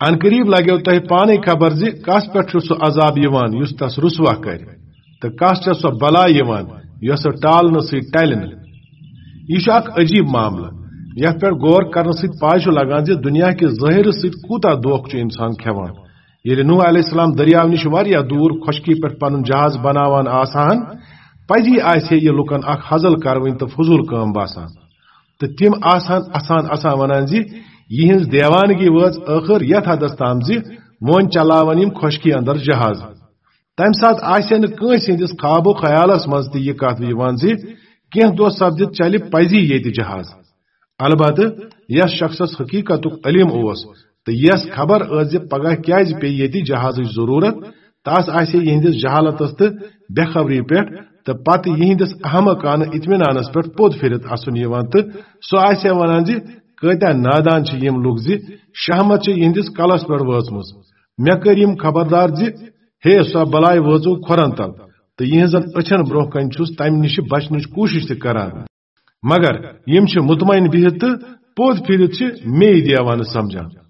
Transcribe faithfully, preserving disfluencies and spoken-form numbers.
عنقریب لگیو تۄہہِ پانے خبر زِ کس پٮ۪ٹھ چھُ سُہ عذاب یِوان یُس تس رسوا کرِ، تہٕ کس چھےٚ سۄ بلا یِوان یۄسہٕ ٹالنہٕ سۭتۍ ٹلہِ نہٕ۔ یہِ چھُ اکھ عجیب معاملہٕ، یتھ پٮ۪ٹھ غور کرنہٕ سۭتۍ پاے چھُ لگان زِ دنیا کہِ ظٲہرٕ سۭتۍ کوٗتاہ دھوکہٕ چھُ انسان کھٮ۪وان۔ ییٚلہِ نوح علیہ السلام دٔریاو نِش واریاہ دوٗر خۄشکی پٮ۪ٹھ پنُن جہاز بناوان آسہٕ ہن، پزی آسہِ ہے یہِ لُکن اکھ ہزل کروٕنۍ تہٕ فضوٗل کٲم باسان۔ تہٕ تِم آسہٕ ہن اسان اسان ونان زِ یِہٕنٛز دیوانگی وٲژ ٲخٕر یتھ حدس تام زِ وۄنۍ چلاون یِم خۄشکی اندر جہاز۔ تمہِ ساتہٕ آسہِ ہے نہٕ کٲنٛسہِ ہٕنٛدِس خواب و خیالس منٛز تہِ یہِ کتھ یِوان زِ کینٛہہ دۄہ سپدِتھ چلہِ پزی ییٚتہِ جہاز۔ البتہٕ یس شخصس حقیقتُک علم اوس تہٕ یس خبر ٲس زِ پگاہ کیازِ پیٚیہِ ییٚتہِ جہازٕچ ضروٗرت، تس آسہِ ہے یِہنٛدِس جہالتس تہٕ بے خبری پٮ۪ٹھ تہٕ پتہٕ یِہنٛدِس احمقانہٕ اطمینانس پٮ۪ٹھ پوٚد پھِرِتھ اسُن یِوان، تہٕ سُہ آسہِ ہے ونان زِ کٲتیاہ نادان چھِ یِم لُکھ زِ شہمت چھِ یِہنٛدِس کلس پٮ۪ٹھ وٲژمٕژ۔ مےٚ کٔرۍ یِم خبردار زِ ہے، سۄ بلاے وٲژٕو کھۄرن تل، تہٕ یِہنٛزن أچھن برونٛہہ کنہِ چھُس تمہِ نِش بچنٕچ کوٗشش تہِ کران۔ مگر یِم چھِ مطمئن بِہِتھ تہٕ پوٚد پھِرِتھ چھِ مے دیوانہٕ سمجھان۔